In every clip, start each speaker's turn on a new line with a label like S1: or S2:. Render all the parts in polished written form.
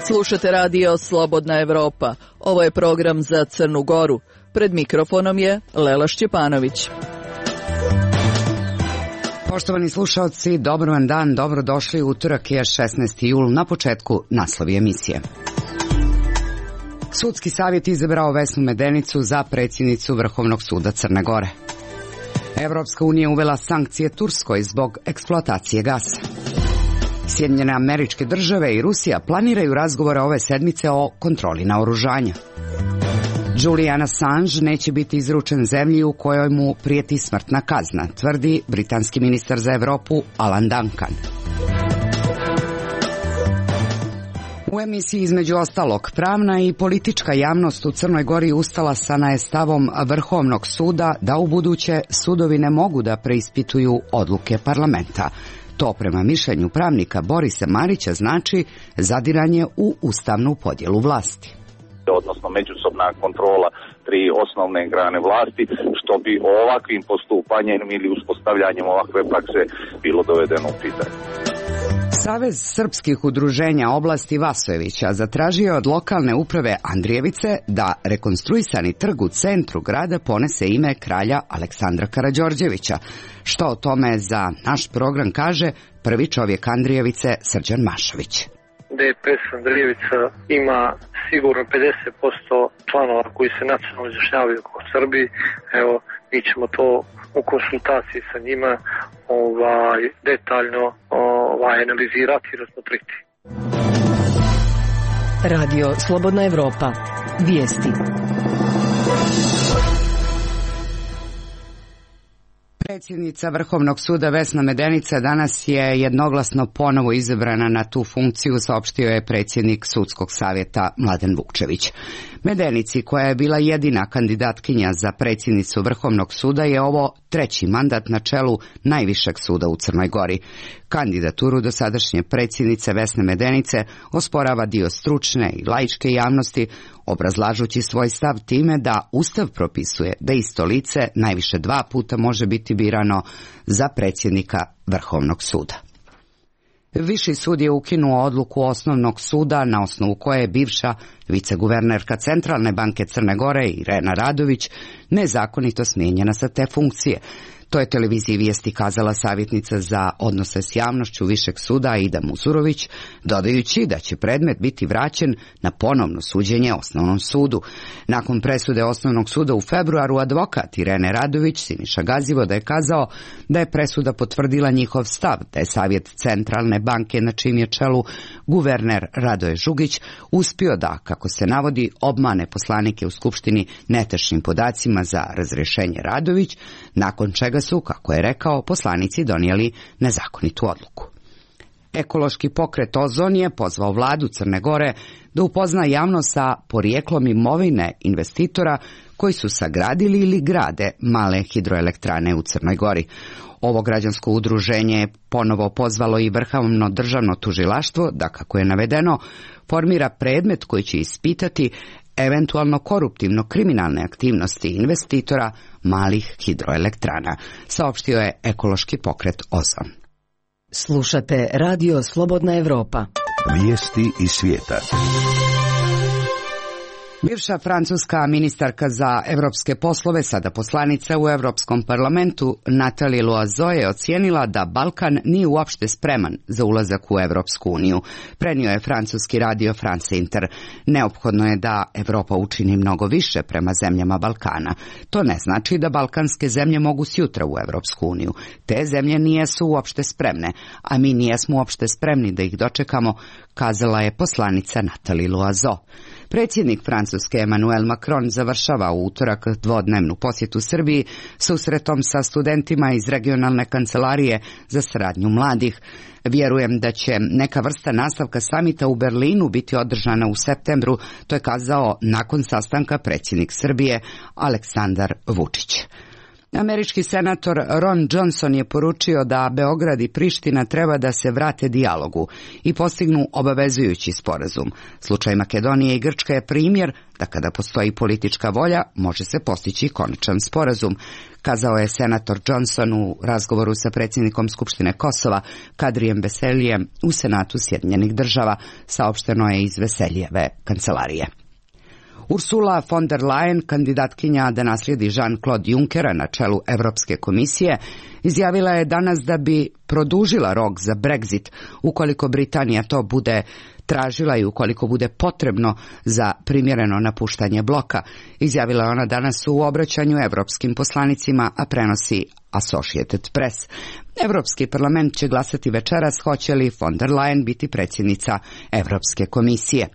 S1: Slušate radio Slobodna Evropa. Ovo je program za Crnu Goru. Pred mikrofonom je Lela Šćepanović.
S2: Poštovani slušalci, dobar vam dan, dobrodošli. Utorak je 16. jul, na početku naslovi emisije. Sudski savjet izabrao Vesnu Medenicu za predsjednicu Vrhovnog suda Crne Gore. Evropska unija uvela sankcije Turskoj zbog eksploatacije gasa. Sjedinjene Američke Države i Rusija planiraju razgovore ove sedmice o kontroli naoružanja. Julian Assange neće biti izručen zemlji u kojoj mu prijeti smrtna kazna, tvrdi britanski ministar za Evropu Alan Duncan. U emisiji između ostalog, pravna i politička javnost u Crnoj Gori ustala sa stavom Vrhovnog suda da ubuduće sudovi ne mogu da preispituju odluke parlamenta. To prema mišljenju pravnika Borisa Marića znači zadiranje u ustavnu podjelu vlasti.
S3: Odnosno međusobna kontrola tri osnovne grane vlasti, što bi ovakvim postupanjem ili uspostavljanjem ovakve prakse bilo dovedeno u pitanje.
S2: Savez srpskih udruženja oblasti Vasojevića zatražio je od lokalne uprave Andrijevice da rekonstruisani trg u centru grada ponese ime kralja Aleksandra Karađorđevića. Što o tome za naš program kaže prvi čovjek Andrijevice Srđan Mašović.
S4: DPS Andrijevica ima sigurno 50% članova koji se nacionalno izjašnjavaju kao Srbi. Evo, mi ćemo to u konsultaciji sa njima detaljno analizirati i razmotriti.
S5: Radio Slobodna Evropa. Vijesti.
S2: Predsjednica Vrhovnog suda Vesna Medenica danas je jednoglasno ponovo izabrana na tu funkciju, saopštio je predsjednik Sudskog savjeta Mladen Vukčević. Medenici, koja je bila jedina kandidatkinja za predsjednicu Vrhovnog suda, je ovo treći mandat na čelu najvišeg suda u Crnoj Gori. Kandidaturu dosadašnje predsjednice Vesne Medenice osporava dio stručne i laičke javnosti, obrazlažući svoj stav time da Ustav propisuje da isto lice najviše 2 puta može biti birano za predsjednika Vrhovnog suda. Viši sud je ukinuo odluku Osnovnog suda na osnovu koje je bivša viceguvernerka Centralne banke Crne Gore Irena Radović nezakonito smijenjena sa te funkcije. To je televiziji Vijesti kazala savjetnica za odnose s javnošću Višeg suda Aida Muzurović, dodajući da će predmet biti vraćen na ponovno suđenje Osnovnom sudu. Nakon presude Osnovnog suda u februaru, advokat Irene Radović Siniša Gazivoda je kazao da je presuda potvrdila njihov stav, da je savjet Centralne banke, na čijem je čelu guverner Radoje Žugić, uspio da, kako se navodi, obmane poslanike u Skupštini netačnim podacima za razrješenje Radović, nakon čega su, kako je rekao, poslanici donijeli nezakonitu odluku. Ekološki pokret Ozon je pozvao vladu Crne Gore da upozna javnost sa porijeklom imovine investitora koji su sagradili ili grade male hidroelektrane u Crnoj Gori. Ovo građansko udruženje je ponovo pozvalo i Vrhovno državno tužilaštvo da, kako je navedeno, formira predmet koji će ispitati eventualno koruptivno kriminalne aktivnosti investitora malih hidroelektrana, saopštio je ekološki pokret Ozon.
S5: Slušate radio Slobodna Evropa.
S6: Vijesti iz svijeta.
S2: Bivša francuska ministarka za evropske poslove, sada poslanica u Europskom parlamentu, Nathalie Loiseau je ocijenila da Balkan nije uopšte spreman za ulazak u Evropsku uniju. Prenio je francuski radio France Inter. Neophodno je da Evropa učini mnogo više prema zemljama Balkana. To ne znači da balkanske zemlje mogu sjutra u Evropsku uniju. Te zemlje nijesu uopšte spremne, a mi nijesmo uopšte spremni da ih dočekamo, kazala je poslanica Nathalie Loiseau. Predsjednik Francuske Emmanuel Macron završava u utorak dvodnevnu posjetu Srbiji susretom sa studentima iz regionalne kancelarije za saradnju mladih. Vjerujem da će neka vrsta nastavka samita u Berlinu biti održana u septembru, to je kazao nakon sastanka predsjednik Srbije Aleksandar Vučić. Američki senator Ron Johnson je poručio da Beograd i Priština treba da se vrate dijalogu i postignu obavezujući sporazum. Slučaj Makedonije i Grčke je primjer da kada postoji politička volja može se postići konačan sporazum, kazao je senator Johnson u razgovoru sa predsjednikom Skupštine Kosova Kadrijem Veselijem u Senatu Sjedinjenih Država, saopšteno je iz Veselijeve kancelarije. Ursula von der Leyen, kandidatkinja da naslijedi Jean-Claude Junckera na čelu Europske komisije, izjavila je danas da bi produžila rok za Brexit ukoliko Britanija to bude tražila i ukoliko bude potrebno za primjereno napuštanje bloka. Izjavila je ona danas u obraćanju europskim poslanicima, a prenosi Associated Press. Europski parlament će glasati večeras hoće li von der Leyen biti predsjednica Europske komisije.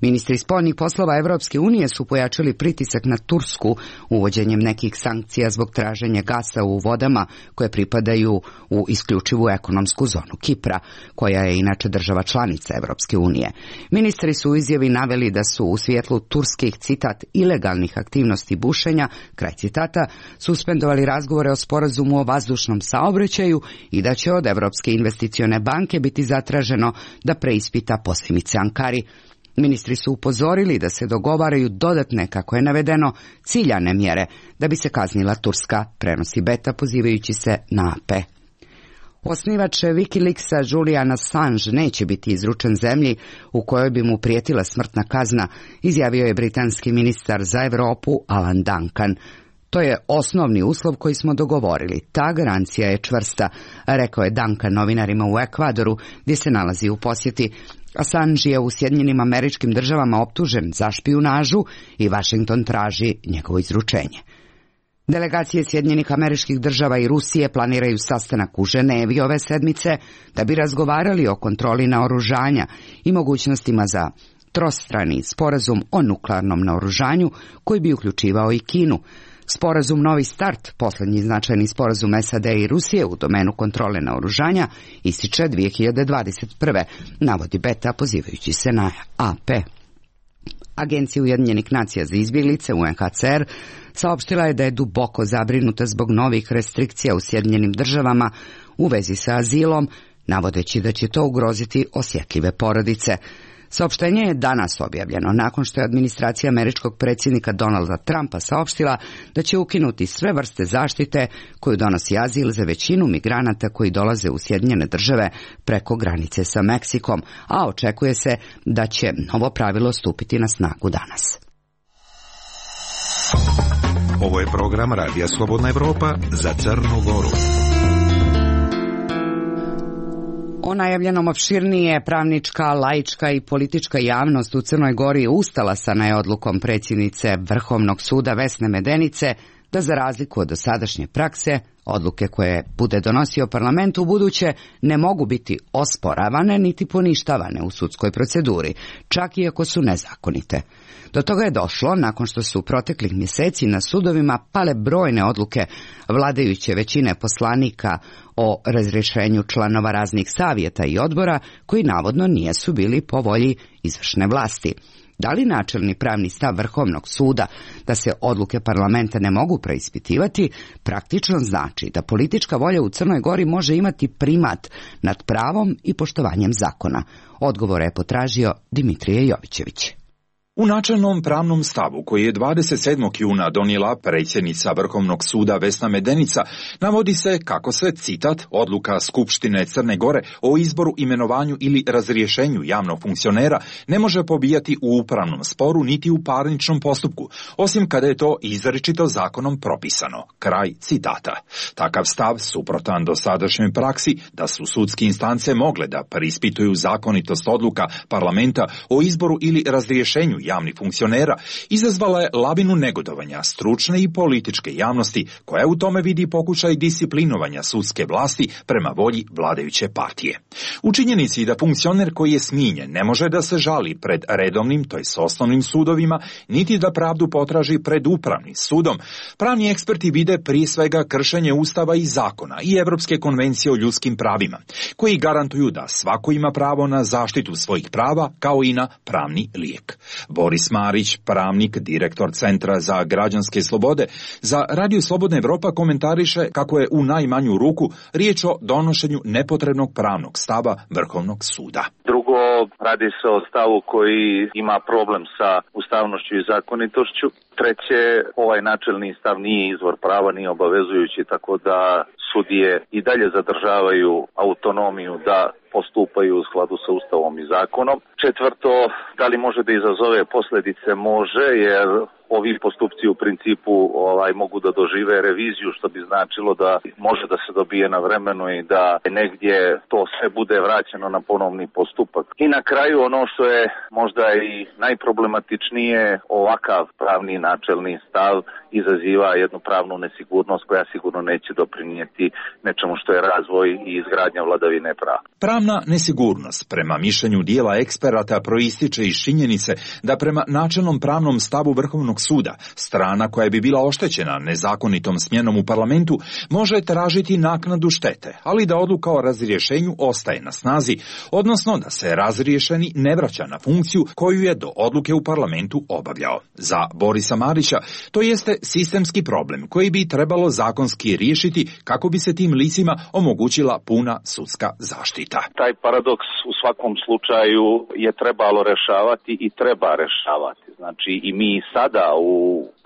S2: Ministri spoljnih poslova Evropske unije su pojačali pritisak na Tursku uvođenjem nekih sankcija zbog traženja gasa u vodama koje pripadaju u isključivu ekonomsku zonu Kipra, koja je inače država članica Evropske unije. Ministri su u izjavi naveli da su u svjetlu turskih, citat, ilegalnih aktivnosti bušenja, kraj citata, suspendovali razgovore o sporazumu o vazdušnom saobraćaju i da će od Evropske investicione banke biti zatraženo da preispita posljedice Ankari. Ministri su upozorili da se dogovaraju dodatne, kako je navedeno, ciljane mjere da bi se kaznila Turska, prenosi Beta pozivajući se na AP. Osnivač Wikileaksa Julian Assange neće biti izručen zemlji u kojoj bi mu prijetila smrtna kazna, izjavio je britanski ministar za Europu Alan Duncan. To je osnovni uslov koji smo dogovorili. Ta garancija je čvrsta, rekao je Duncan novinarima u Ekvadoru, gdje se nalazi u posjeti. Assange je u Sjedinjenim Američkim Državama optužen za špijunažu i Washington traži njegovo izručenje. Delegacije Sjedinjenih Američkih Država i Rusije planiraju sastanak u Ženevi ove sedmice da bi razgovarali o kontroli naoružanja i mogućnostima za trostrani sporazum o nuklearnom naoružanju koji bi uključivao i Kinu. Sporazum Novi start, posljednji značajni sporazum SAD i Rusije u domenu kontrole naoružanja, ističe 2021. navodi Beta pozivajući se na AP. Agencija Ujedinjenih nacija za izbjeglice UNHCR saopštila je da je duboko zabrinuta zbog novih restrikcija u Sjedinjenim Državama u vezi sa azilom, navodeći da će to ugroziti osjetljive porodice. Saopštenje je danas objavljeno nakon što je administracija američkog predsjednika Donalda Trumpa saopštila da će ukinuti sve vrste zaštite koju donosi azil za većinu migranata koji dolaze u Sjedinjene Države preko granice sa Meksikom, a očekuje se da će novo pravilo stupiti na snagu danas.
S6: Ovo je program Radija Slobodna Evropa za Crnu Goru.
S2: O najavljenom opširnije pravnička, laička i politička javnost u Crnoj Gori ustalasa je odlukom predsjednice Vrhovnog suda Vesne Medenice da za razliku od dosadašnje prakse, odluke koje bude donosio parlament u buduće ne mogu biti osporavane niti poništavane u sudskoj proceduri, čak i ako su nezakonite. Do toga je došlo nakon što su proteklih mjeseci na sudovima pale brojne odluke vladajuće većine poslanika o razrješenju članova raznih savjeta i odbora koji navodno nisu bili po volji izvršne vlasti. Da li načelni pravni stav Vrhovnog suda da se odluke parlamenta ne mogu preispitivati praktično znači da politička volja u Crnoj Gori može imati primat nad pravom i poštovanjem zakona? Odgovore je potražio Dimitrije Jovićević.
S7: U načelnom pravnom stavu koji je 27. juna donijela predsjednica Vrhovnog suda Vesna Medenica navodi se kako se, citat, odluka Skupštine Crne Gore o izboru, imenovanju ili razrješenju javnog funkcionera ne može pobijati u upravnom sporu niti u parničnom postupku, osim kada je to izričito zakonom propisano. Kraj citata. Takav stav, suprotan dosadašnjoj praksi da su sudske instance mogle da preispituju zakonitost odluka parlamenta o izboru ili razrješenju javnih funkcionera, izazvala je lavinu negodovanja stručne i političke javnosti koja u tome vidi pokušaj disciplinovanja sudske vlasti prema volji vladajuće partije. U činjenici da funkcioner koji je smijenjen ne može da se žali pred redovnim, to jest osnovnim sudovima, niti da pravdu potraži pred upravnim sudom, pravni eksperti vide prije svega kršenje Ustava i zakona i Evropske konvencije o ljudskim pravima, koji garantuju da svako ima pravo na zaštitu svojih prava kao i na pravni lijek. Boris Marić, pravnik, direktor Centra za građanske slobode, za Radio Slobodna Evropa komentariše kako je u najmanju ruku riječ o donošenju nepotrebnog pravnog stava Vrhovnog suda.
S3: Drugo, radi se o stavu koji ima problem sa ustavnošću i zakonitošću. Treće, ovaj načelni stav nije izvor prava, nije obavezujući, tako da sudije i dalje zadržavaju autonomiju da postupaju u skladu sa Ustavom i zakonom. Četvrto, da li može da izazove posljedice? Može, jer ovi postupci u principu mogu da dožive reviziju, što bi značilo da može da se dobije na vremenu i da negdje to sve bude vraćeno na ponovni postupak. I na kraju ono što je možda i najproblematičnije, ovakav pravni načelni stav izaziva jednu pravnu nesigurnost koja sigurno neće doprinijeti nečemu što je razvoj i izgradnja vladavine prava.
S7: Pravna nesigurnost, prema mišljenju dijela eksperata, proističe iz činjenice da prema načelnom pravnom stavu Vrhovnog suda, strana koja bi bila oštećena nezakonitom smjenom u parlamentu može tražiti naknadu štete, ali da odluka o razrješenju ostaje na snazi, odnosno da se razriješeni ne vraća na funkciju koju je do odluke u parlamentu obavljao. Za Borisa Marića to jeste sistemski problem koji bi trebalo zakonski riješiti kako bi se tim licima omogućila puna sudska zaštita.
S3: Taj paradoks u svakom slučaju je trebalo rešavati i treba rešavati. Znači i mi sada u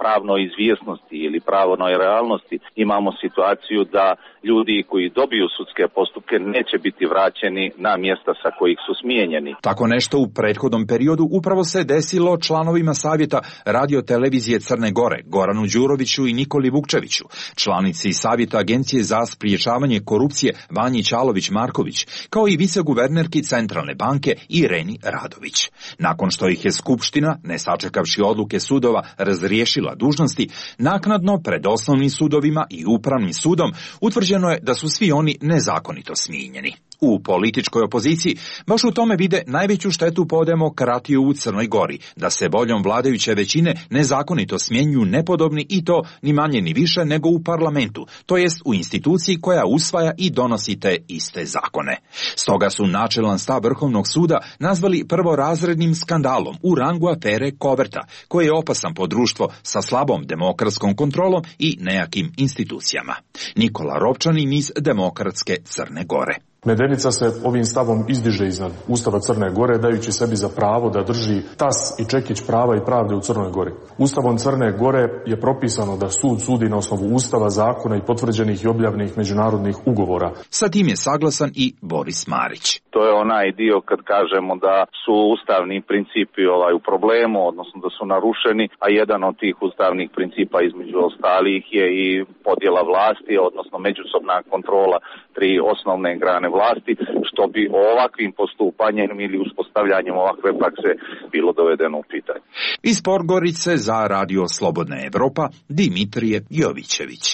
S3: pravnoj izvjesnosti ili pravnoj realnosti imamo situaciju da ljudi koji dobiju sudske postupke neće biti vraćeni na mjesta sa kojih su smijenjeni.
S7: Tako nešto u prethodnom periodu upravo se desilo članovima savjeta Radio televizije Crne Gore, Goranu Đuroviću i Nikoli Vukčeviću, članici savjeta Agencije za spriječavanje korupcije Vanji Čalović-Marković, kao i viceguvernerki Centralne banke Ireni Radović. Nakon što ih je Skupština, ne sačekavši odluke sudova, razriješila dužnosti, naknadno pred osnovnim sudovima i upravnim sudom utvrđeno je da su svi oni nezakonito smijenjeni. U političkoj opoziciji baš u tome vide najveću štetu po demokratiju u Crnoj Gori, da se voljom vladajuće većine nezakonito smjenjuju nepodobni i to ni manje ni više nego u parlamentu, to jest u instituciji koja usvaja i donosi te iste zakone. Stoga su načelan stav Vrhovnog suda nazvali prvorazrednim skandalom u rangu afere Koverta, koji je opasan po društvo sa slabom demokratskom kontrolom i nejakim institucijama. Nikola Ropčanin iz Demokratske Crne Gore.
S8: Medenica se ovim stavom izdiže iznad Ustava Crne Gore, dajući sebi za pravo da drži tas i čekić prava i pravde u Crnoj Gori. Ustavom Crne Gore je propisano da sud sudi na osnovu Ustava, zakona i potvrđenih i objavljenih međunarodnih ugovora.
S7: Sa tim je saglasan i Boris Marić.
S3: To je onaj dio kad kažemo da su ustavni principi u problemu, odnosno da su narušeni, a jedan od tih ustavnih principa između ostalih je i podjela vlasti, odnosno međusobna kontrola tri osnovne grane vlasti, što bi ovakvim postupanjem ili uspostavljanjem ovakve prakse bilo dovedeno u pitanje.
S7: Iz Podgorice za Radio Slobodna Evropa, Dimitrije Jovićević.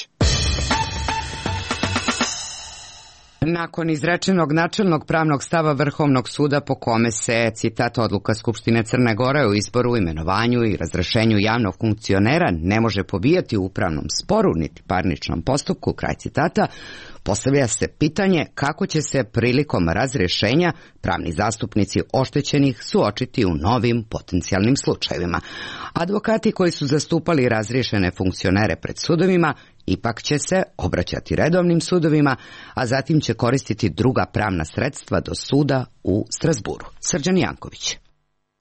S2: Nakon izrečenog načelnog pravnog stava Vrhovnog suda po kome se, citat, odluka Skupštine Crne Gore o izboru, imenovanju i razrešenju javnog funkcionera ne može pobijati u upravnom sporu niti parničnom postupku, kraj citata, postavlja se pitanje kako će se prilikom razrješenja pravni zastupnici oštećenih suočiti u novim potencijalnim slučajevima. Advokati koji su zastupali razriješene funkcionere pred sudovima ipak će se obraćati redovnim sudovima, a zatim će koristiti druga pravna sredstva do suda u Strasburu. Srđan Janković.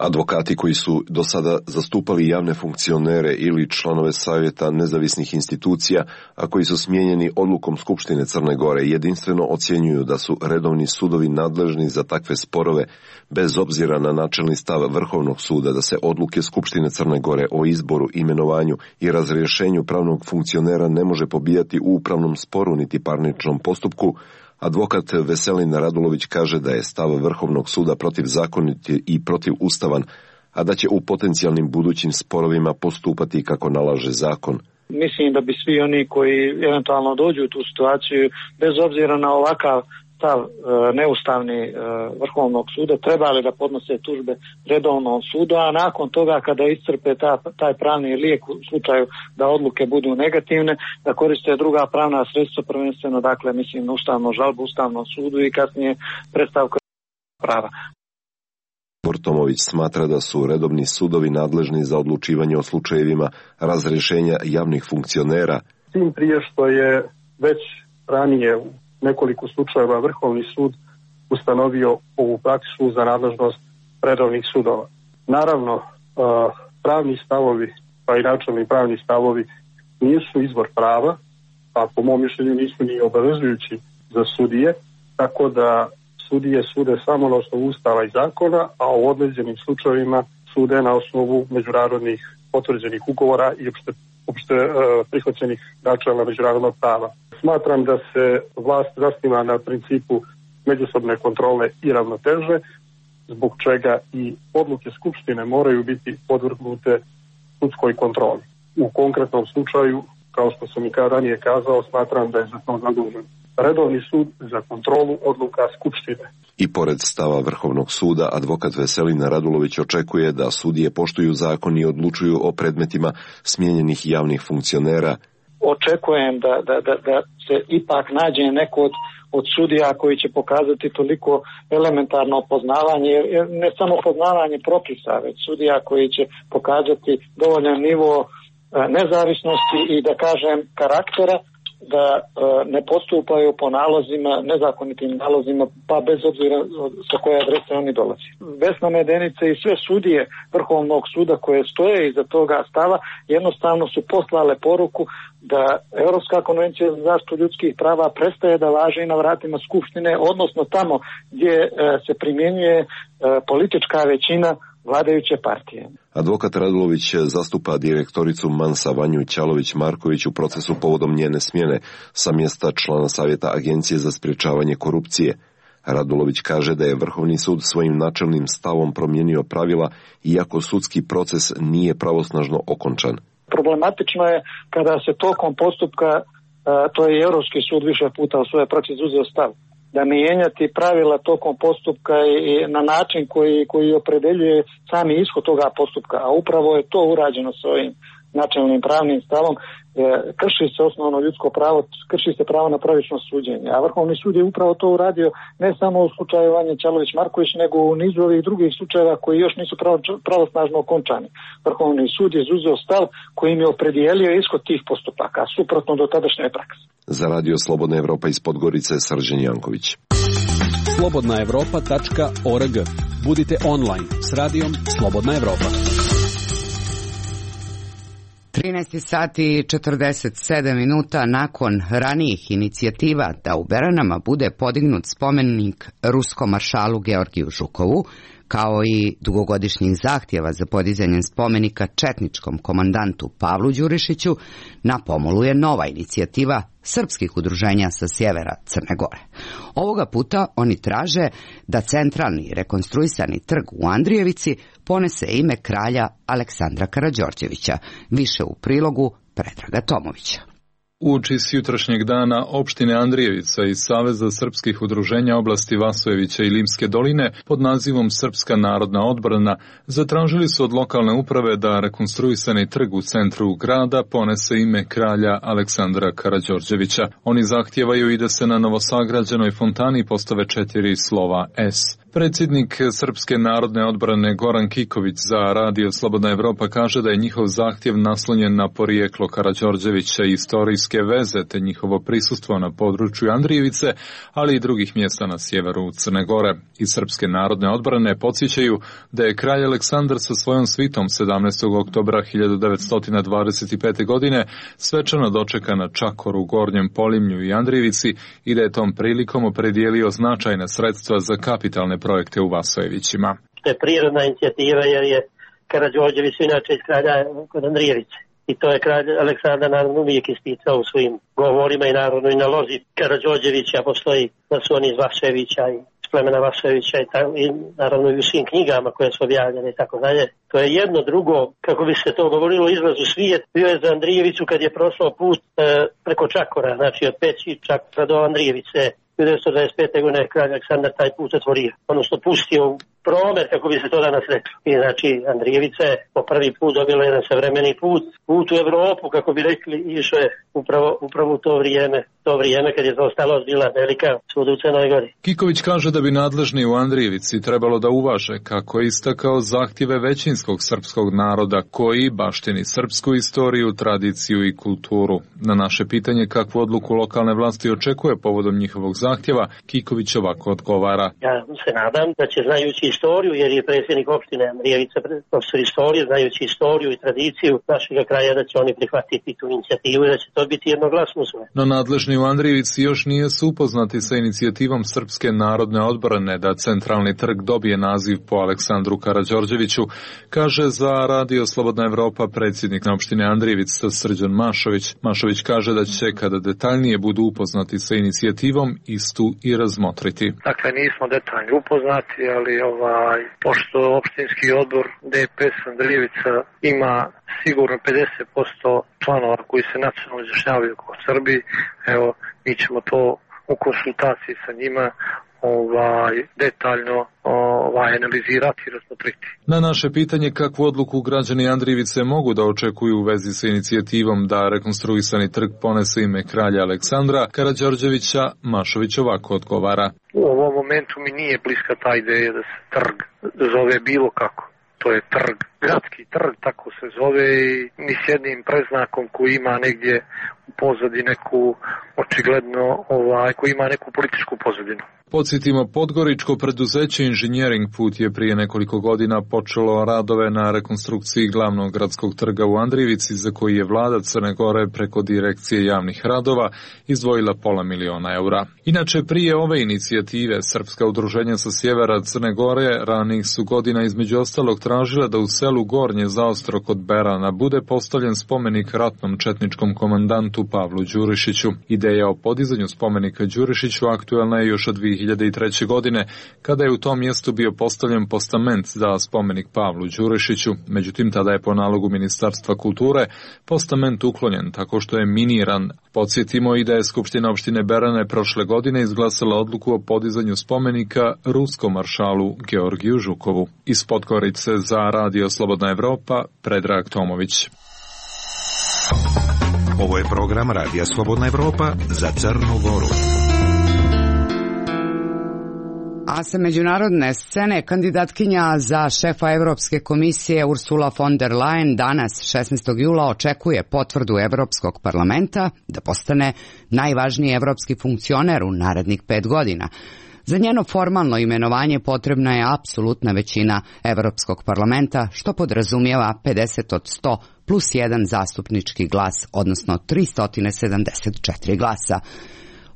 S9: Advokati koji su do sada zastupali javne funkcionere ili članove savjeta nezavisnih institucija, a koji su smijenjeni odlukom Skupštine Crne Gore, jedinstveno ocjenjuju da su redovni sudovi nadležni za takve sporove, bez obzira na načelni stav Vrhovnog suda da se odluke Skupštine Crne Gore o izboru, imenovanju i razrješenju pravnog funkcionera ne može pobijati u upravnom sporu niti parničnom postupku. Advokat Veselin Radulović kaže da je stav Vrhovnog suda protivzakonit i protivustavan, a da će u potencijalnim budućim sporovima postupati kako nalaže zakon.
S4: Mislim da bi svi oni koji eventualno dođu u tu situaciju, bez obzira na ovakav stav neustavni Vrhovnog suda, trebali da podnose tužbe redovnom sudu, a nakon toga kada iscrpe taj pravni lijek u slučaju da odluke budu negativne, da koriste druga pravna sredstva, prvenstveno, dakle, mislim, ustavnu žalbu Ustavnom sudu i kasnije predstavku prava.
S9: Tomović smatra da su redovni sudovi nadležni za odlučivanje o slučajevima razrješenja javnih funkcionera.
S10: Tim prije što je već ranije u nekoliko slučajeva Vrhovni sud ustanovio ovu praksu za nadležnost redovnih sudova. Naravno, pravni stavovi, pa i načelni pravni stavovi nisu izvor prava, a po mom mišljenju nisu ni obavezujući za sudije, tako da sudije sude samo na osnovu Ustava i zakona, a u određenim slučajevima sude na osnovu međunarodnih potvrđenih ugovora i opšte prihvaćenih načela međunarodnog prava. Smatram da se vlast zasniva na principu međusobne kontrole i ravnoteže, zbog čega i odluke Skupštine moraju biti podvrgnute sudskoj kontroli. U konkretnom slučaju, kao što sam i ranije kazao, smatram da je za to zadužen redovni sud za kontrolu odluka Skupštine.
S9: I pored stava Vrhovnog suda, advokat Veselina Radulović očekuje da sudije poštuju zakon i odlučuju o predmetima smijenjenih javnih funkcionera.
S4: Očekujem da se ipak nađe neko od sudija koji će pokazati toliko elementarno poznavanje, ne samo poznavanje propisa, već sudija koji će pokazati dovoljan nivo nezavisnosti i da kažem karaktera, da ne postupaju po nalozima, nezakonitim nalozima, pa bez obzira sa koje adrese oni dolazi. Vesna Medenica i sve sudije Vrhovnog suda koje stoje iza toga stava jednostavno su poslale poruku da Europska konvencija za zaštitu ljudskih prava prestaje da važi na vratima Skupštine, odnosno tamo gdje se primjenjuje politička većina vladajuće partije.
S9: Advokat Radulović zastupa direktoricu Mansa Vanju Ćalović-Marković u procesu povodom njene smjene sa mjesta člana Savjeta Agencije za sprječavanje korupcije. Radulović kaže da je Vrhovni sud svojim načelnim stavom promijenio pravila, iako sudski proces nije pravosnažno okončan.
S4: Problematično je kada se tokom postupka, to je Europski sud više puta u svojoj praksi uzeo stav, da mijenjati pravila tokom postupka i na način koji opredeljuje sami ishod toga postupka, a upravo je to urađeno s ovim načelnim pravnim stavom, krši se osnovno ljudsko pravo, krši se pravo na pravično suđenje. A Vrhovni sud je upravo to uradio ne samo u slučaju Vanje Ćalović-Marković, nego u nizu ovih drugih slučajeva koji još nisu pravosnažno okončani. Vrhovni sud je izuzeo stav kojim je opredijelio ishod tih postupaka, suprotno do tadašnje prakse.
S9: Za Radio Slobodna Evropa iz Podgorice, Srđan Janković.
S11: slobodnaevropa.org. Budite online s radijom Slobodna Evropa.
S2: 13 sati i 47 minuta nakon ranijih inicijativa da u Beranama bude podignut spomenik ruskom maršalu Georgiju Žukovu, kao i dugogodišnjih zahtjeva za podizanjem spomenika četničkom komandantu Pavlu Đurišiću, na pomolu je nova inicijativa srpskih udruženja sa sjevera Crne Gore. Ovoga puta oni traže da centralni rekonstruisani trg u Andrijevici ponese ime kralja Aleksandra Karađorđevića. Više u prilogu Predraga Tomovića.
S12: Uoči s jutrašnjeg dana opštine Andrijevica i Saveza srpskih udruženja oblasti Vasojevića i Limske doline pod nazivom Srpska narodna odbrana zatražili su od lokalne uprave da rekonstruisani trg u centru grada ponese ime kralja Aleksandra Karađorđevića. Oni zahtijevaju i da se na novosagrađenoj fontani postave 4 slova S. Predsjednik Srpske narodne odbrane Goran Kiković za Radio Slobodna Evropa kaže da je njihov zahtjev naslonjen na porijeklo Karađorđevića i istorijske veze te njihovo prisustvo na području Andrijevice, ali i drugih mjesta na sjeveru Crne Gore. Iz Srpske narodne odbrane podsjećaju da je kralj Aleksandar sa svojom svitom 17. oktobra 1925. godine svečano dočekan na Čakoru, Gornjem Polimlju i Andrijevici i da je tom prilikom opredijelio značajna sredstva za kapitalne projekte u Vasojevićima.
S13: To je prirodna inicijativa jer je Karađorđević inače iz kralja kod Andrijevice. I to je kralj Aleksandar naravno uvijek isticao u svojim govorima i naravno i na lozi Karađorđevića postoji da su oni iz Vasojevića i iz plemena Vasojevića i naravno i u svim knjigama koje su objavljene i tako dalje. To je jedno drugo, kako bi se to govorilo, izlaz u svijet. Bio je za Andrijevicu kad je prošao put preko Čakora, znači od Peći Čakora do Andrijevice. 1925. godine kralj Aleksandar taj put otvorio, odnosno pustio promet, kako bi se to danas reklo. I znači Andrijevica je po prvi put dobila jedan savremeni put u Evropu, kako bi rekli, išao je upravo u to vrijeme kad je to ostalo bila velika svud u Crnoj Gori.
S12: Kiković kaže da bi nadležni u Andrijevici trebalo da uvaže, kako je istakao, zahtjeve većinskog srpskog naroda koji baštini srpsku istoriju, tradiciju i kulturu. Na naše pitanje kakvu odluku lokalne vlasti očekuje povodom njihovog zahtjeva, Kiković ovako odgovara.
S13: Ja se nadam da će, znajući istoriju, jer je predsjednik opštine Andrijevica profesor istorije, znajući istoriju i tradiciju našega kraja, da će oni prihvatiti tu inicijativu i da će to biti jednoglasno usvojeno.
S12: No nadležni u Andrijevici još nisu upoznati sa inicijativom Srpske narodne odbrane da centralni trg dobije naziv po Aleksandru Karađorđeviću, kaže za Radio Slobodna Evropa predsjednik opštine Andrijevica Srđan Mašović. Mašović kaže da će, kada detaljnije budu upoznati sa inicijativom, istu i razmotriti.
S14: Dakle, nismo detaljno upoznati, ali pošto opštinski odbor DPS Andrijevica ima sigurno 50% članova koji se nacionalno izjašnjavaju kao Srbi, evo, mi ćemo to u konsultaciji sa njima detaljno analizirati i razmotriti.
S12: Na naše pitanje kakvu odluku građani Andrijevice mogu da očekuju u vezi sa inicijativom da rekonstruisani trg ponese ime kralja Aleksandra Karađorđevića, Mašović ovako odgovara.
S14: U ovom momentu mi nije bliska ta ideja da se trg zove bilo kako. To je trg, gradski trg, tako se zove, i ni s jednim preznakom koji ima negdje u pozadini neku, očigledno, koji ima neku političku pozadinu.
S12: Podsjetimo, podgoričko preduzeće Inženjering Put je prije nekoliko godina počelo radove na rekonstrukciji glavnog gradskog trga u Andrijevici, za koji je vlada Crne Gore preko Direkcije javnih radova izdvojila $500.000 eura. Inače, prije ove inicijative, srpska udruženja sa sjevera Crne Gore ranih su godina između ostalog tražila da u selu Gornje Zaostro kod Berana bude postavljen spomenik ratnom četničkom komandantu Pavlu Đurišiću. Ideja o podizanju spomenika Đurišiću aktuelna je još od 2003. godine, kada je u tom mjestu bio postavljen postament za spomenik Pavlu Đurišiću. Međutim, tada je po nalogu Ministarstva kulture postament uklonjen tako što je miniran. Podsjetimo i da je Skupština opštine Berane prošle godine izglasala odluku o podizanju spomenika ruskom maršalu Georgiju Žukovu. Iz Podgorice za Radio Slobodna Evropa, Predrag Tomović.
S6: Ovo je program Radija Slobodna Evropa za Crnu Goru.
S2: A sa međunarodne scene kandidatkinja za šefa Evropske komisije Ursula von der Leyen danas 16. jula očekuje potvrdu Evropskog parlamenta da postane najvažniji evropski funkcioner u narednih 5 godina. Za njeno formalno imenovanje potrebna je apsolutna većina Evropskog parlamenta, što podrazumijeva 50 od 100 plus 1 zastupnički glas, odnosno 374 glasa.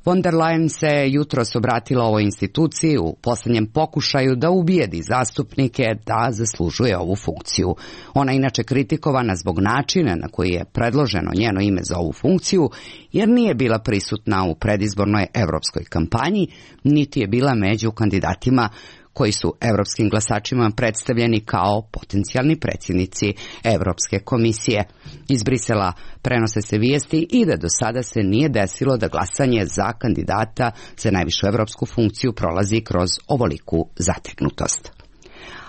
S2: Von der Leyen se jutros obratila ovoj instituciji u posljednjem pokušaju da ubijedi zastupnike da zaslužuje ovu funkciju. Ona je inače kritikovana zbog načina na koji je predloženo njeno ime za ovu funkciju, jer nije bila prisutna u predizbornoj evropskoj kampanji, niti je bila među kandidatima koji su evropskim glasačima predstavljeni kao potencijalni predsjednici Evropske komisije. Iz Brisela prenose se vijesti i da do sada se nije desilo da glasanje za kandidata za najvišu evropsku funkciju prolazi kroz ovoliku zategnutost.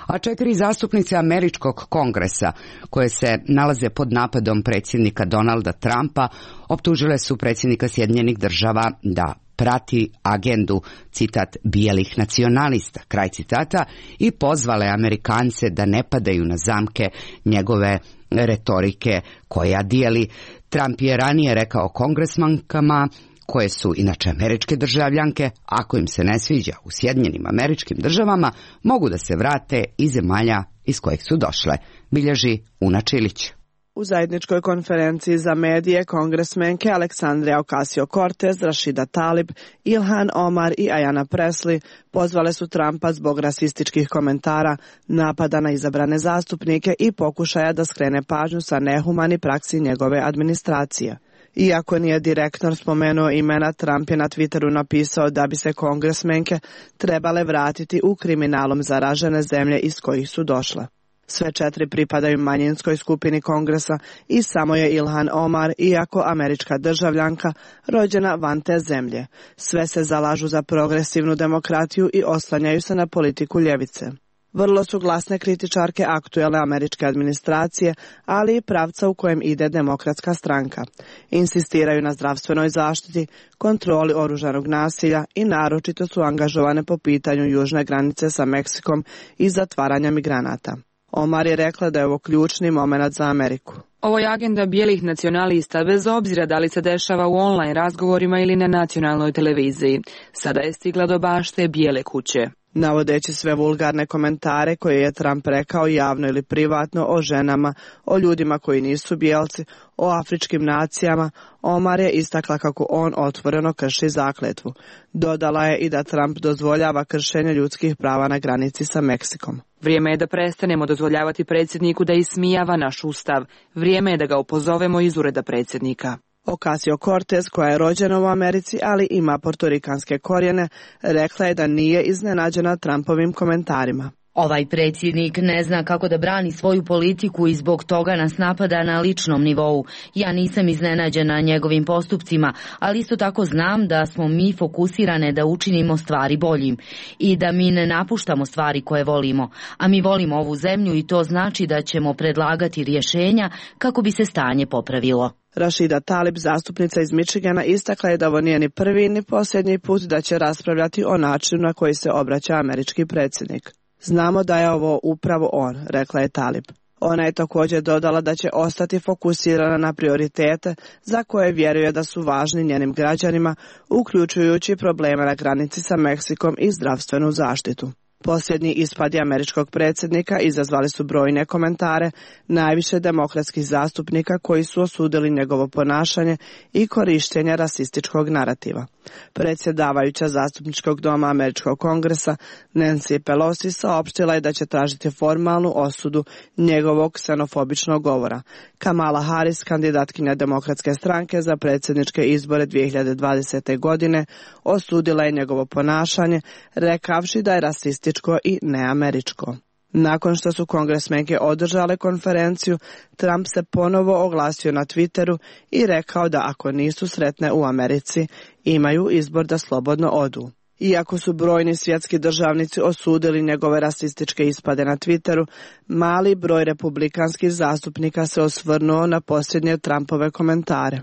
S2: A 4 zastupnice Američkog kongresa, koje se nalaze pod napadom predsjednika Donalda Trumpa, optužile su predsjednika Sjedinjenih Država da prati agendu, citat, bijelih nacionalista, kraj citata, i pozvale Amerikance da ne padaju na zamke njegove retorike koja dijeli. Trump je ranije rekao kongresmankama, koje su inače američke državljanke, ako im se ne sviđa u Sjedinjenim Američkim Državama, mogu da se vrate iz zemalja iz kojih su došle, bilježi Una Čilić.
S15: U zajedničkoj konferenciji za medije kongresmenke Aleksandria Ocasio-Cortez, Rashida Tlaib, Ilhan Omar i Ayanna Pressley pozvale su Trumpa zbog rasističkih komentara, napada na izabrane zastupnike i pokušaja da skrene pažnju sa nehumani praksi njegove administracije. Iako nije direktno spomenuo imena, Trump je na Twitteru napisao da bi se kongresmenke trebale vratiti u kriminalom zaražene zemlje iz kojih su došle. Sve 4 pripadaju manjinskoj skupini kongresa i samo je Ilhan Omar, iako američka državljanka, rođena van te zemlje. Sve se zalažu za progresivnu demokratiju i oslanjaju se na politiku ljevice. Vrlo su glasne kritičarke aktuelne američke administracije, ali i pravca u kojem ide Demokratska stranka. Insistiraju na zdravstvenoj zaštiti, kontroli oružanog nasilja i naročito su angažovane po pitanju južne granice sa Meksikom i zatvaranja migranata. Omar je rekla da je ovo ključni moment za Ameriku.
S16: Ovo je agenda bijelih nacionalista, bez obzira da li se dešava u online razgovorima ili na nacionalnoj televiziji. Sada je stigla do bašte Bijele kuće.
S15: Navodeći sve vulgarne komentare koje je Trump rekao javno ili privatno o ženama, o ljudima koji nisu bijelci, o afričkim nacijama, Omar je istakla kako on otvoreno krši zakletvu. Dodala je i da Trump dozvoljava kršenje ljudskih prava na granici sa Meksikom.
S16: Vrijeme je da prestanemo dozvoljavati predsjedniku da ismijava naš ustav. Vrijeme je da ga opozovemo iz ureda predsjednika.
S15: Ocasio-Cortez, koja je rođena u Americi, ali ima portorikanske korijene, rekla je da nije iznenađena Trumpovim komentarima.
S17: Ovaj predsjednik ne zna kako da brani svoju politiku i zbog toga nas napada na ličnom nivou. Ja nisam iznenađena njegovim postupcima, ali isto tako znam da smo mi fokusirane da učinimo stvari boljim i da mi ne napuštamo stvari koje volimo. A mi volimo ovu zemlju i to znači da ćemo predlagati rješenja kako bi se stanje popravilo.
S15: Rashida Tlaib, zastupnica iz Michigana, istakla je da ovo nije ni prvi ni posljednji put da će raspravljati o načinu na koji se obraća američki predsjednik. Znamo da je ovo upravo on, rekla je Tlaib. Ona je također dodala da će ostati fokusirana na prioritete za koje vjeruje da su važni njenim građanima, uključujući probleme na granici sa Meksikom i zdravstvenu zaštitu. Posljednji ispadi američkog predsjednika izazvali su brojne komentare, najviše demokratskih zastupnika koji su osudili njegovo ponašanje i korištenje rasističkog narativa. Predsjedavajuća zastupničkog doma američkog kongresa Nancy Pelosi saopštila je da će tražiti formalnu osudu njegovog ksenofobičnog govora. Kamala Harris, kandidatkinja Demokratske stranke za predsjedničke izbore 2020. godine, osudila je njegovo ponašanje, rekavši da je rasističko i neameričko. Nakon što su kongresmenke održale konferenciju, Trump se ponovo oglasio na Twitteru i rekao da ako nisu sretne u Americi, imaju izbor da slobodno odu. Iako su brojni svjetski državnici osudili njegove rasističke ispade na Twitteru, mali broj republikanskih zastupnika se osvrnuo na posljednje Trumpove komentare.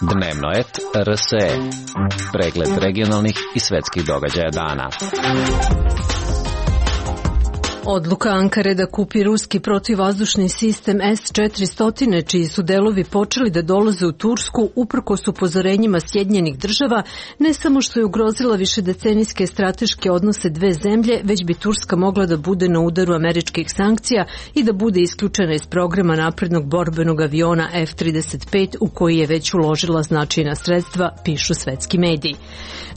S18: Dnevno et RSE. Pregled regionalnih i svjetskih događaja dana.
S19: Odluka Ankare da kupi ruski protivvazdušni sistem S-400, čiji su delovi počeli da dolaze u Tursku uprkos upozorenjima Sjedinjenih država, ne samo što je ugrozila višedecenijske strateške odnose dve zemlje, već bi Turska mogla da bude na udaru američkih sankcija i da bude isključena iz programa naprednog borbenog aviona F-35 u koji je već uložila značajna sredstva, pišu svetski mediji.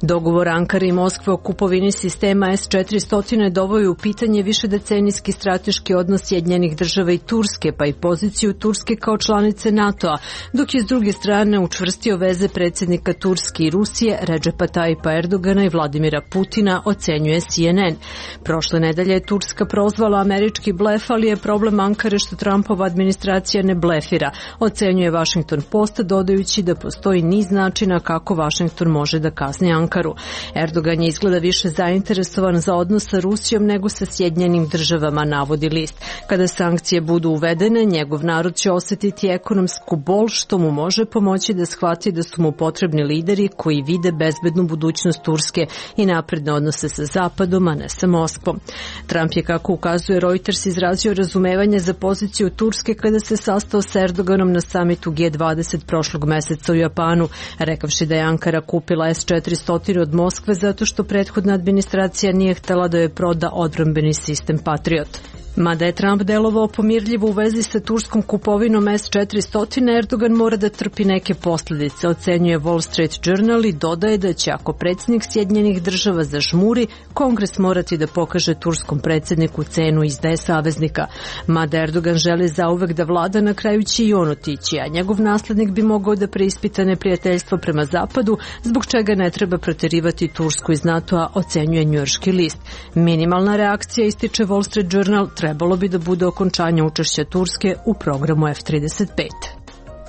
S19: Dogovor Ankare i Moskve o kupovini sistema S-400 doveo u pitanje višedecenijski strateški odnos Sjedinjenih država i Turske, pa i poziciju Turske kao članice NATO-a, dok je s druge strane učvrstio veze predsjednika Turske i Rusije Redžepa Tajipa Erdogana i Vladimira Putina, ocenjuje CNN. Prošle nedelje je Turska prozvala američki blef, ali je problem Ankare što Trumpova administracija ne blefira, ocenjuje Washington Post, dodajući da postoji niz načina kako Washington može da kazni Ankaru. Erdogan je izgleda više zainteresovan za odnos sa Rusijom nego sa Sjedinjenim državama, navodi list. Kada sankcije budu uvedene, njegov narod će osjetiti ekonomsku bol, što mu može pomoći da shvati da su mu potrebni lideri koji vide bezbednu budućnost Turske i napredne odnose sa Zapadom, a ne sa Moskvom. Trump je, kako ukazuje Reuters, izrazio razumevanje za poziciju Turske kada se sastao sa Erdoganom na samitu G20 prošlog meseca u Japanu, rekavši da je Ankara kupila S-400 od Moskve zato što prethodna administracija nije htjela da joj proda odbrambeni sistem Patriot. Mada je Trump delovao pomirljivo u vezi sa turskom kupovinom S-400, Erdogan mora da trpi neke posljedice, ocenjuje Wall Street Journal i dodaje da će, ako predsjednik Sjedinjenih država zažmuri, Kongres morati da pokaže turskom predsjedniku cenu izdaje saveznika. Mada Erdogan želi zauvek da vlada, na kraju će i on otići, a njegov naslednik bi mogao da preispita neprijateljstvo prema Zapadu, zbog čega ne treba proterivati Tursku iz NATO-a, ocenjuje njujorški list. Minimalna reakcija, ističe Wall Street Journal, trebalo bi da bude okončanje učešća Turske u programu F-35.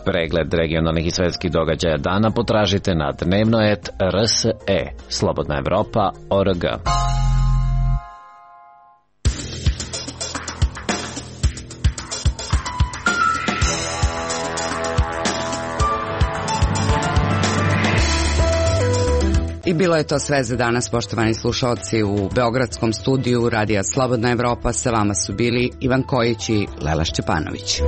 S18: Pregled regionalnih i svjetskih događaja dana potražite na dnevno et RSE. Slobodna Evropa.org.
S2: bilo je to sve za danas, poštovani slušalci. U beogradskom studiju Radija Slobodna Evropa sa vama su bili Ivan Kojić i Lela Šćepanović.